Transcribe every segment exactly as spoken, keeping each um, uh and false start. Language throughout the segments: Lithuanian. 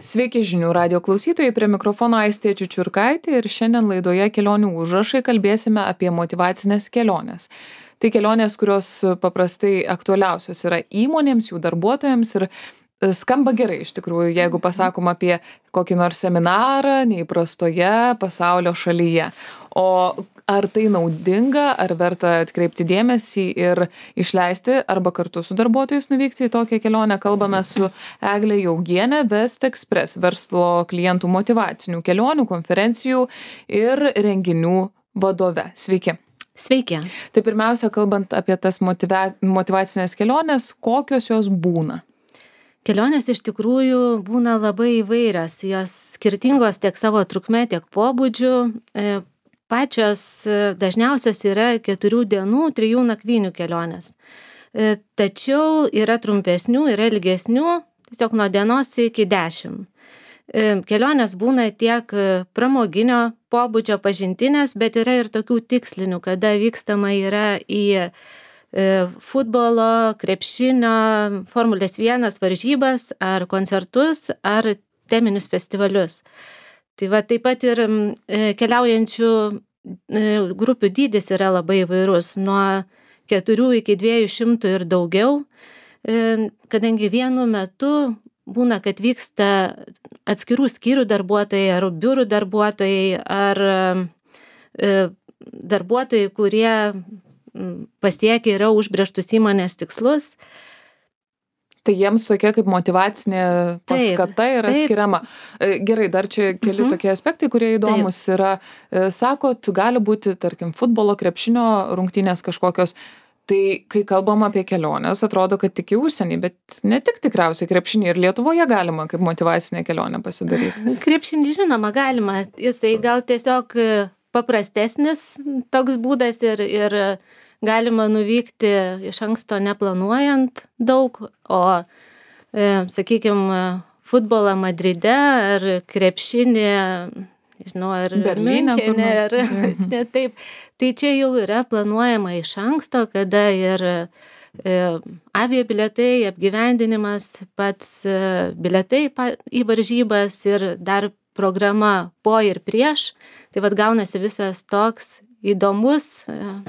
Sveiki žinių radijo klausytojai, prie mikrofono Aistė Čiučiurkaitė ir šiandien laidoje Kelionių užrašai kalbėsime apie motyvacinės keliones. Tai kelionės, kurios paprastai aktualiausios yra įmonėms, jų darbuotojams ir skamba gerai iš tikrųjų, jeigu pasakom apie kokį nors seminarą neįprastoje pasaulio šalyje. O ar tai naudinga, ar verta atkreipti dėmesį ir išleisti arba kartu su darbuotojais nuvykti į tokią kelionę, kalbame su Egle Jaugiene, West Express verslo klientų motyvacinių kelionių, konferencijų ir renginių vadove. Sveiki. Sveiki. Tai pirmiausia, kalbant apie tas motyva- motyvacinės kelionės, kokios jos būna? Kelionės iš tikrųjų būna labai įvairios, jos skirtingos tiek savo trukme, tiek pobūdžiu. E, Pačios dažniausios yra keturių dienų, trijų nakvynių kelionės. E, Tačiau yra trumpesnių, yra ilgesnių, tiesiog nuo dienos iki dešimt. E, Kelionės būna tiek pramoginio pobūdžio pažintinės, bet yra ir tokių tikslinių, kada vykstama yra į e, futbolo, krepšinio, Formulės vienas varžybas, ar koncertus, ar teminius festivalius. Tai va taip pat ir e, keliaujančių e, grupių dydis yra labai įvairus, nuo keturių iki dviejų šimtų ir daugiau, e, kadangi vienu metu būna, kad vyksta atskirų skyrių darbuotojai, ar biurų darbuotojai, ar e, darbuotojai, kurie pasiekia yra užbrėžtus įmonės tikslus. Tai jiems tokia kaip motyvacinė paskata Taip, yra taip. skiriama. E, Gerai, dar čia keli Mhm. tokie aspektai, kurie įdomus yra. E, Sakot, gali būti, tarkim, futbolo, krepšinio rungtynės kažkokios. Tai kai kalbam apie keliones, atrodo, kad tik į užsienį, bet ne tik tikriausiai krepšinį ir Lietuvoje galima kaip motyvacinę kelionę pasidaryti. Krepšinį žinoma galima, jisai gal tiesiog paprastesnis toks būdas ir, ir galima nuvykti iš anksto neplanuojant daug, o, e, sakykime, futbolą Madride ar krepšinį, nežinau, ar Berlyne kur Miunchene, nors. ar Mhm. ne taip. Tai čia jau yra planuojama iš anksto, kada ir e, aviabilietai, apgyvendinimas, pats e, bilietai pa, į varžybas ir dar programa po ir prieš. Tai vad gaunasi visas toks įdomus e,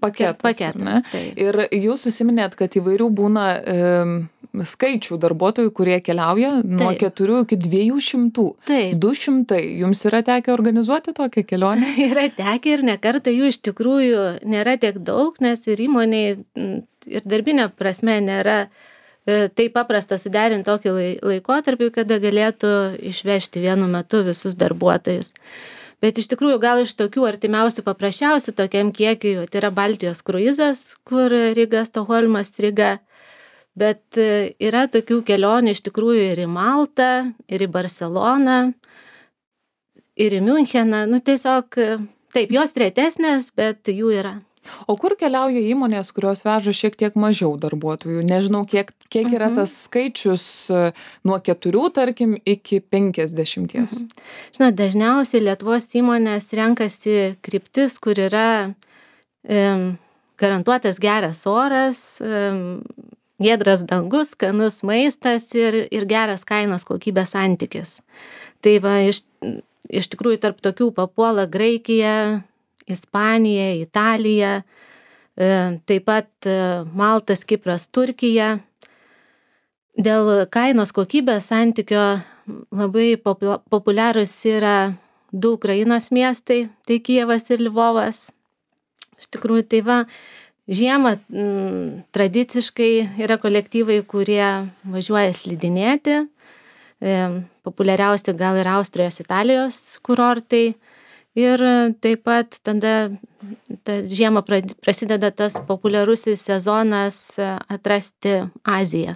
Paketas. ar ne? paketas. Taip. Ir jūs užsiminėt, kad įvairių būna e, skaičių darbuotojų, kurie keliauja nuo Taip. keturių iki dviejų šimtų. Taip. Du šimtai. Jums yra tekę organizuoti tokią kelionę? Yra tekę ir nekartą jų iš tikrųjų nėra tiek daug, nes ir įmoniai m, ir darbinė prasme nėra e, taip paprasta suderinti tokį lai- laikotarpį, kada galėtų išvežti vienu metu visus darbuotojus. Bet iš tikrųjų gal iš tokių artimiausių paprasčiausių tokiam kiekiui, tai yra Baltijos kruizas, kur Ryga, Stokholmas, Ryga. Bet e, yra tokių kelionių iš tikrųjų ir į Maltą, ir į Barceloną, ir į Miuncheną. Nu tiesiog, e, taip, jos retesnės, bet jų yra. O kur keliauja įmonės, kurios veža šiek tiek mažiau darbuotojų? Nežinau, kiek, kiek yra Mhm. tas skaičius e, nuo keturių, tarkim, iki penkiasdešimties. Mhm. Žinot, dažniausiai Lietuvos įmonės renkasi kryptis, kur yra e, garantuotas geras oras, e, giedras dangus, skanus maistas ir, ir geras kainos kokybės santykis. Tai va, iš, iš tikrųjų tarp tokių papuola Graikija, Ispanija, Italija, e, taip pat e, Maltas, Kipras, Turkija. Dėl kainos kokybės santykio labai popu- populiarūs yra du Ukrainos miestai, tai Kijevas ir Lvovas. Iš tikrųjų, tai va, žiemą m, tradiciškai yra kolektyvai, kurie važiuoja slidinėti. E, populiariausi gal ir Austrijos, Italijos kurortai. Ir taip pat tada ta žiemą prad- prasideda tas populiarusis sezonas e, atrasti Aziją.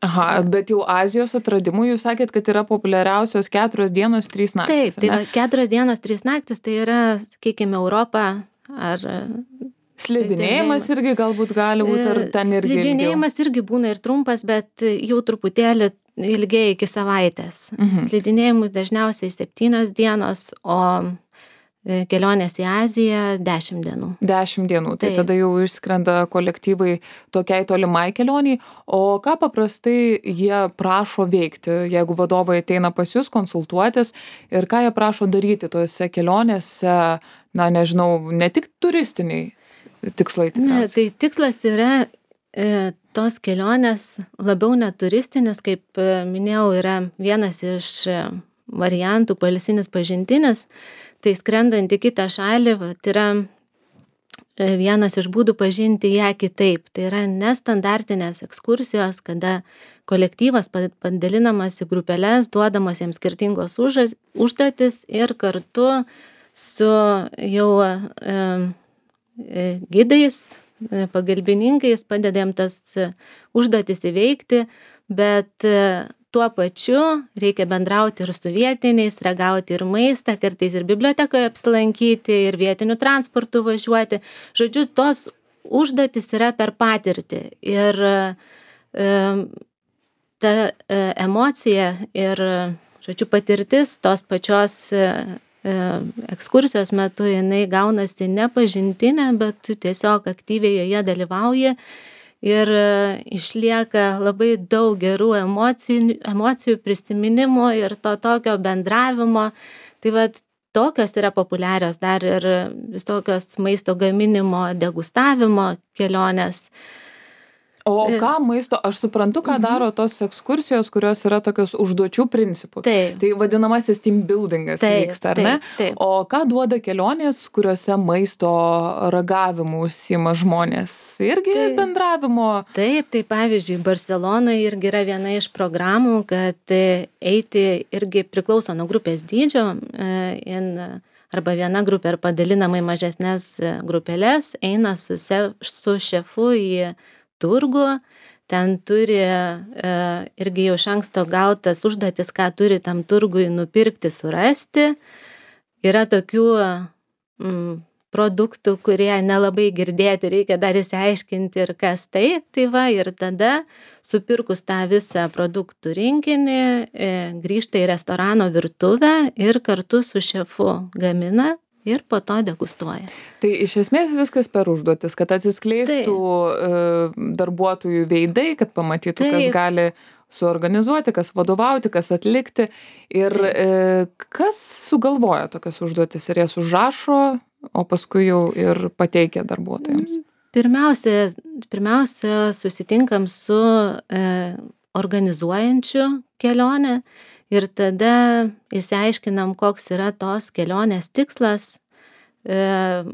Aha, bet jau Azijos atradimų jūs sakėt, kad yra populiariausios keturios dienos, trys naktys. Taip, tai ar va, ne? keturios dienos, trys naktis, tai yra, sakykime, Europa ar... Slidinėjimas irgi galbūt gali būti, ar ten irgi ilgiau? Slidinėjimas irgi būna ir trumpas, bet jau truputėlį ilgiai iki savaitės. Mhm. Slidinėjimui dažniausiai septynios dienos, o kelionės į Aziją dešimt dienų. Dešimt dienų, tai Taip. tada jau išskrenda kolektyvai tokiai tolimai kelioniai. O ką paprastai jie prašo veikti, jeigu vadovai ateina pas jūs konsultuotis ir ką jie prašo daryti tose kelionėse, na nežinau, ne tik turistiniai tikslai Ne, tikriausiai. tai tikslas yra e, tos kelionės labiau neturistinis, kaip e, minėjau, yra vienas iš e, variantų poilsinis pažintinis, tai skrendant į kitą šalį, va, tai yra e, vienas iš būdų pažinti ją kitaip. Tai yra nestandartinės ekskursijos, kada kolektyvas pa- padalinamas į grupelės, duodamas jiems skirtingos užas- užduotis ir kartu su jau e, e, gidais, e, pagalbininkais padedam tas e, užduotis įveikti, bet e, tuo pačiu reikia bendrauti ir su vietiniais, ragauti ir maistą, kartais ir bibliotekoje apsilankyti, ir vietiniu transportu važiuoti. Žodžiu, tos užduotis yra per patirtį. Ir e, ta e, emocija ir, žodžiu, patirtis tos pačios e, e, ekskursijos metu, jinai gaunasi ne pažintinė, bet tu tiesiog aktyviai joje dalyvauji. Ir e, išlieka labai daug gerų emocijų, emocijų prisiminimų ir to tokio bendravimo. Tai vat tokios yra populiarios dar ir visokios maisto gaminimo, degustavimo kelionės. O E. ką maisto, aš suprantu, ką daro tos ekskursijos, kurios yra tokios užduočių principų. Taip. Tai vadinamasis team buildingas Taip, vyksta, ar ne? taip, taip. O ką duoda kelionės, kuriuose maisto ragavimu užsiima žmonės? Irgi Tai- bendravimo. Taip, tai pavyzdžiui, Barcelonoje irgi yra viena iš programų, kad e, eiti irgi priklauso nuo grupės dydžio, e, in, arba viena grupė ar padalinama į mažesnės e, grupelės, eina su, se, su šefu į turgų, ten turi e, irgi jau iš anksto gautas užduotis, ką turi tam turgui nupirkti, surasti. Yra tokių mm, produktų, kurie nelabai girdėti, reikia dar įsiaiškinti ir kas tai. Tai va, ir tada supirkus tą visą produktų rinkinį, e, grįžta į restorano virtuvę ir kartu su šefu gamina ir po to degustuoja. Tai iš esmės viskas per užduotis, kad atsiskleistų e, darbuotojų veidai, kad pamatytų, kas Taip. gali suorganizuoti, kas vadovauti, kas atlikti. Ir e, kas sugalvoja tokias užduotis ir jas užrašo, o paskui jau ir pateikia darbuotojams. Pirmiausia, pirmiausia susitinkam su e, organizuojančiu kelionę ir tada išsiaiškinam, koks yra tos kelionės tikslas, e,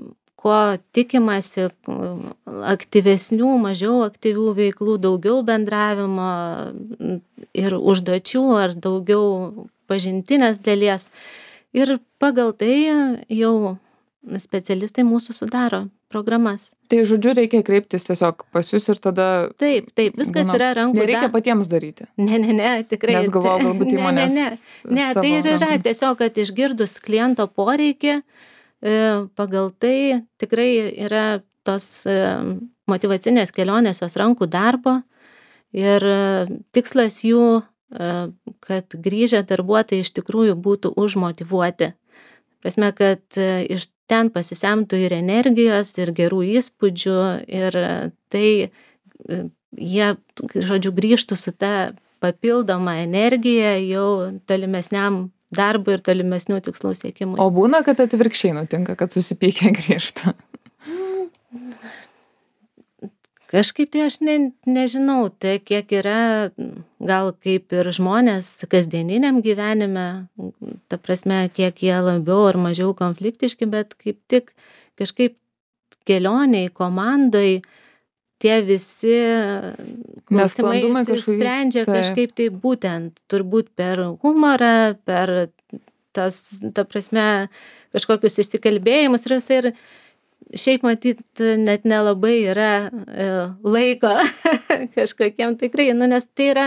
ko tikimasi, aktyvesnių, mažiau aktyvių veiklų, daugiau bendravimo ir užduočių ar daugiau pažintinės dalies. Ir pagal tai jau specialistai mūsų sudaro programas. Tai žodžiu, reikia kreiptis tiesiog pas jūs ir tada... Taip, taip, viskas būna- yra rankų Nereikia dar- patiems daryti. Ne, ne, ne, tikrai. Nes galvojau, galbūt Ne, įmonės Ne, ne, ne savo tai ir yra rankom. tiesiog, kad išgirdus kliento poreikį, e, pagal tai tikrai yra tos e, motyvacinės kelionės, jos rankų darbo ir e, tikslas jų, e, kad grįžę darbuotojai iš tikrųjų būtų užmotyvuoti. Prasme, kad e, iš ten pasisemtų ir energijos, ir gerų įspūdžių, ir e, tai e, jie, žodžiu, grįžtų su ta papildoma energija jau tolimesniam darbui ir tolimesnių tikslų siekimui. O būna, kad atvirkščiai nutinka, kad susipykę grįžta. Kažkaip tai aš ne, nežinau, tai kiek yra, gal kaip ir žmonės kasdieniniam gyvenime, ta prasme, kiek jie labiau ar mažiau konfliktiški, bet kaip tik kažkaip kelioniai, komandai, tie visi klausimai Nesklandumai kažkokie, išsisprendžia taip. kažkaip tai būtent, turbūt per humorą, per tas, ta prasme, kažkokius išsikalbėjimus ir visai ir šiaip matyt net nelabai yra e, laiko kažkokiem tikrai, nu, nes tai yra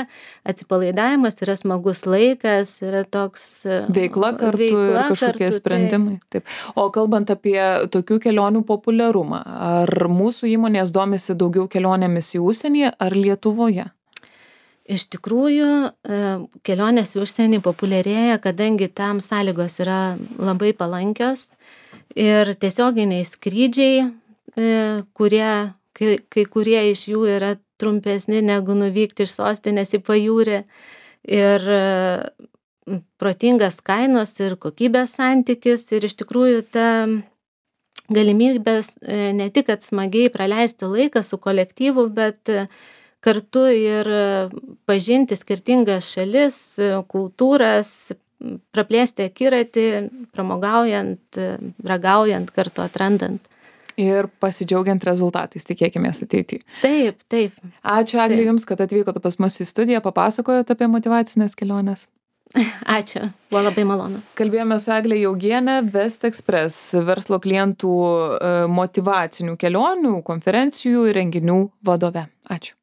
atsipalaidavimas, yra smagus laikas, yra toks e, Veikla kartu veikla ir kažkokie kartu, sprendimai. Taip. O kalbant apie tokių kelionių populiarumą, ar mūsų įmonės domisi daugiau kelionėmis į užsienį ar Lietuvoje? Iš tikrųjų, e, kelionės į užsienį populiarėja, kadangi tam sąlygos yra labai palankios ir tiesioginiai skrydžiai, kurie, kai, kai kurie iš jų yra trumpesni negu nuvykti iš sostinės į pajūrį, ir protingas kainos ir kokybės santykis, ir iš tikrųjų ta galimybės ne tik kad smagiai praleisti laiką su kolektyvu, bet kartu ir pažinti skirtingas šalis, kultūras, praplėsti akiratį, pramogaujant, ragaujant, kartu atrandant. Ir pasidžiaugiant rezultatais, tikėkimės ateityje. Taip, taip. Ačiū, Eglė, taip. Jums, kad atvykote pas mus į studiją, papasakojot apie motyvacinės keliones. Ačiū, buvo labai malonu. Kalbėjome su Egle Jaugiene, West Express verslo klientų motyvacinių kelionių, konferencijų ir renginių vadove. Ačiū.